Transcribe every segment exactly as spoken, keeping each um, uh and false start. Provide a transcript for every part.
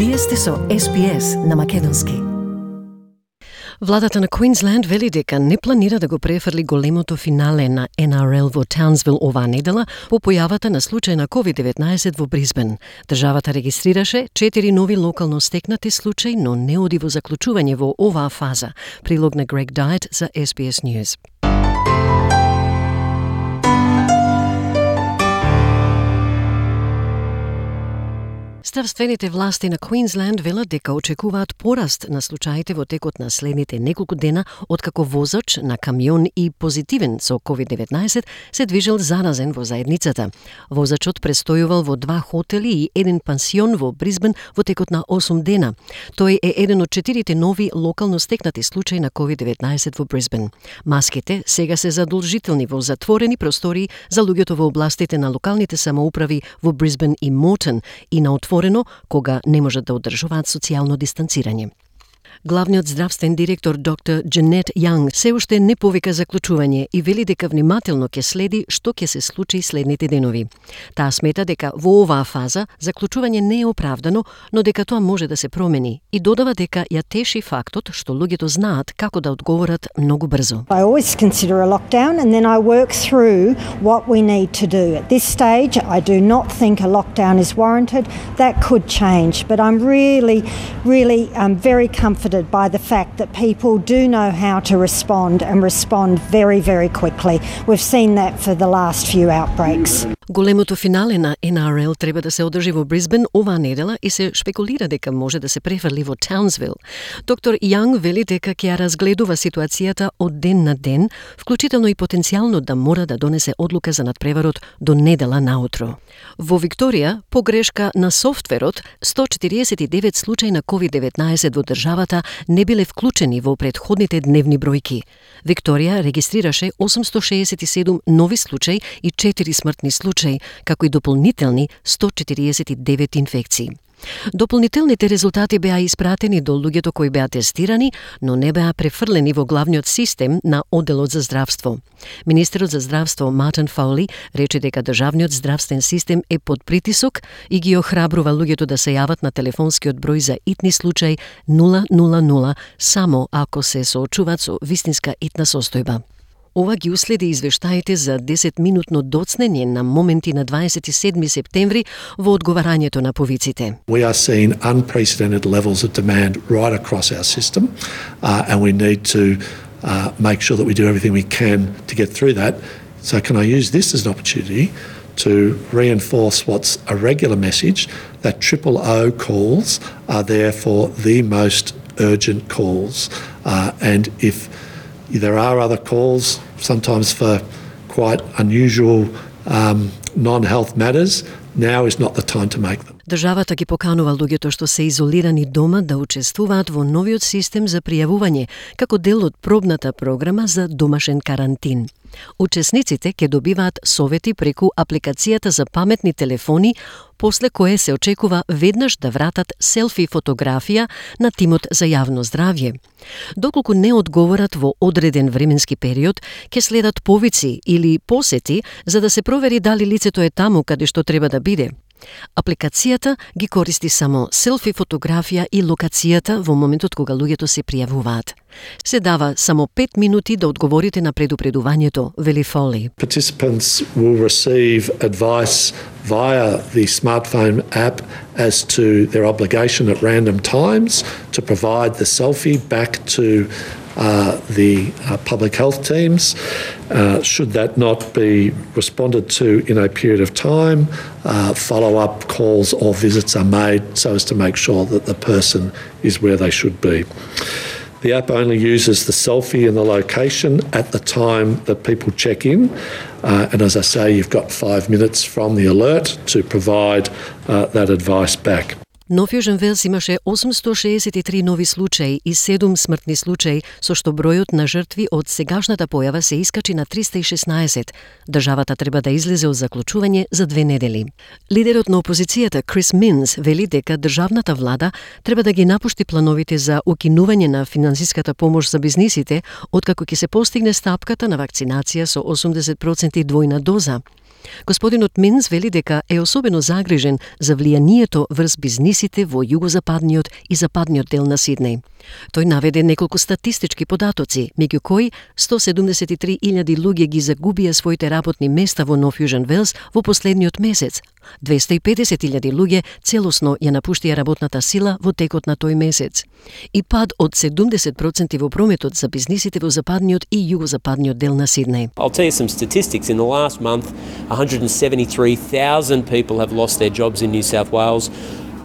Вие сте со Ес Би Ес на македонски. Владата на Квинсленд вели дека не планира да го префрли големото финале на Ен Ар Ел во Таунсвил оваа недела по појавата на случај на ковид деветнаесет во Брисбен. Државата регистрираше четири нови локално стекнати случаи, но не оди во заклучување во оваа фаза. Прилог на Грег Дайт за Ес Би Ес News. Здравствените власти на Квинсленд велат дека очекуваат пораст на случаите во текот на следните неколку дена откако возач на камион и позитивен со ковид деветнаесет се движел заразен во заедницата. Возачот престојувал во два хотели и еден пансион во Брисбен во текот на осум дена. Тој е еден од четирите нови локално стекнати случаи на ковид деветнаесет во Брисбен. Маските сега се задолжителни во затворени простории за луѓето во областите на локалните самоуправи во Брисбен и Мортон и на отворено кога не можат да одржуваат социјално дистанцирање. Главниот здравствен директор доктор Джанет Јанг се уште не повика заклучување и вели дека внимателно ќе следи што ќе се случи следните денови. Таа смета дека во оваа фаза заклучување не е оправдано, но дека тоа може да се промени и додава дека ја теши фактот што луѓето знаат како да одговорат многу брзо. I always consider a lockdown and then I work through what we need to do. At this stage, I do not think a lockdown is warranted. That could change, but I'm really, really um, very comforted by the fact that people do know how to respond and respond very, very quickly. We've seen that for the last few outbreaks. Големото финале на Ен Ар Ел треба да се одржи во Брисбен оваа недела и се шпекулира дека може да се префрли во Таунсвил. Доктор Јанг вели дека ќе ја разгледува ситуацијата од ден на ден, вклучително и потенцијално да мора да донесе одлука за надпреварот до недела наутро. Во Викторија, по грешка на софтверот, сто четириесет и девет случаи на ковид деветнаесет во државата не биле вклучени во претходните дневни бројки. Викторија регистрираше осумсто шеесет и седум нови случаи и четири смртни случаи, како и дополнителни сто четириесет и девет инфекции. Дополнителните резултати беа испратени до луѓето кои беа тестирани, но не беа префрлени во главниот систем на одделот за здравство. Министерот за здравство Мартин Фаули рече дека државниот здравствен систем е под притисок и ги охрабрува луѓето да се јават на телефонскиот број за итни случај нула нула нула само ако се соочуваат со вистинска итна состојба. Ова ги уследи извештаите за десетминутно доцнење на моменти на дваесет и седми септември во одговарањето на повиците. We are seeing unprecedented levels of demand right across our system uh, and we need to uh, make sure that we do everything we can to get through that. So can I use this as an opportunity to reinforce what's a regular message that triple O calls are there for the most urgent calls uh, and if there are other calls, sometimes for quite unusual um, non-health matters. Now is not the time to make them. Државата ги поканува луѓето што се изолирани дома да учествуваат во новиот систем за пријавување, како дел од пробната програма за домашен карантин. Учесниците ќе добиваат совети преку апликацијата за паметни телефони, после кое се очекува веднаш да вратат селфи фотографија на тимот за јавно здравје. Доколку не одговорат во одреден временски период, ќе следат повици или посети за да се провери дали лицето е таму каде што треба да биде. Апликацијата ги користи само селфи фотографија и локацијата во моментот кога луѓето се пријавуваат. Се дава само пет минути да одговорите на предупредувањето, вели Фоли. Participants will receive advice via the smartphone app as to their obligation at random times to provide the selfie back to Uh, the uh, public health teams. Uh, should that not be responded to in a period of time, uh, follow-up calls or visits are made so as to make sure that the person is where they should be. The app only uses the selfie and the location at the time that people check in. Uh, and as I say, you've got five minutes from the alert to provide uh, that advice back. Нов Јужен Велс имаше осумсто шеесет и три нови случаи и седум смртни случаи, со што бројот на жртви од сегашната појава се искачи на триста и шеснаесет. Државата треба да излезе од заклучување за две недели. Лидерот на опозицијата Крис Минс вели дека државната влада треба да ги напушти плановите за укинување на финансиската помош за бизнисите, откако ќе се постигне стапката на вакцинација со осумдесет проценти двојна доза. Господинот Минц вели дека е особено загрижен за влијанието врз бизнисите во југозападниот и западниот дел на Сиднеј. Тој наведе неколку статистички податоци, меѓу кои сто седумдесет и три илјади луѓе ги загубија своите работни места во Нов Јужен Велс во последниот месец. двеста и педесет илјади луѓе целосно ја напуштија работната сила во текот на тој месец. И пад од седумдесет проценти во прометот за бизнисите во западниот и југозападниот дел на Сиднеј. I'll tell you some statistics. In the last month, one hundred seventy-three thousand people have lost their jobs in New South Wales.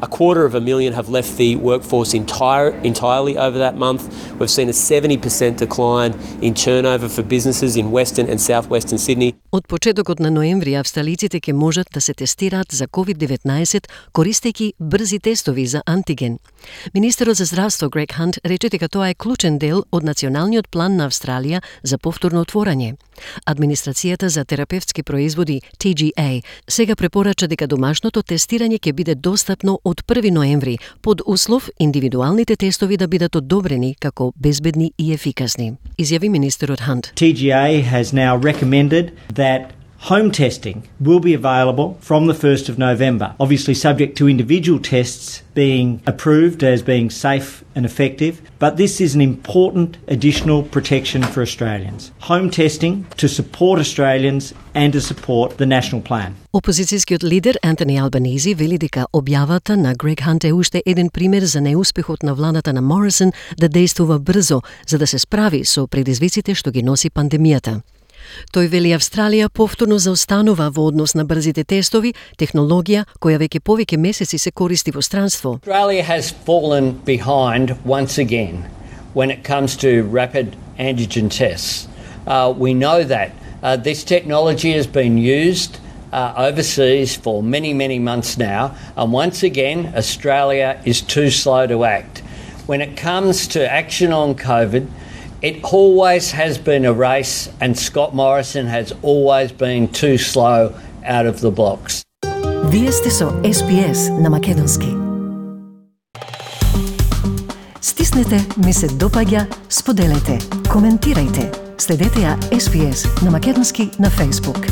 A quarter of a million have left the workforce entire, entirely over that month. We've seen a seventy percent decline in turnover for businesses in Western and Southwestern Sydney. Од почетокот на ноември австралиците ќе можат да се тестираат за ковид деветнаесет користејќи брзи тестови за антиген. Министерот за здравство Грег Хант рече дека тоа е клучен дел од националниот план на Австралија за повторно отворање. Администрацијата за терапевтски производи T G A сега препорача дека домашното тестирање ќе биде достапно од први ноември, под услов индивидуалните тестови да бидат одобрени како безбедни и ефикасни. Изјави министерот Хант. T G A has now recommended that home testing will be available from the first of November, obviously subject to individual tests being approved as being safe and effective, but this is an important additional protection for Australians. Home testing to support Australians and to support the national plan. Опозицијскиот лидер Антони Албанизи вели дека објавата на Грег Хант е уште еден пример за неуспехот на владата на Морисон да действува брзо за да се справи со предизвиците што ги носи пандемијата. Тој вели Австралија повторно заостанува во однос на брзите тестови, технологија која веќе повеќе месеци се користи во странство. Australia has fallen behind once again when it comes to rapid antigen tests. Uh, we know that uh, this technology has been used uh, overseas for many, many months now, and once again Australia is too slow to act. When it comes to action on COVID, it always has been a race, and Scott Morrison has always been too slow out of the blocks. Вие сте со S B S на македонски. Стиснете, ми се допаѓа, споделете, коментирајте. Следете ја S B S на македонски на Facebook.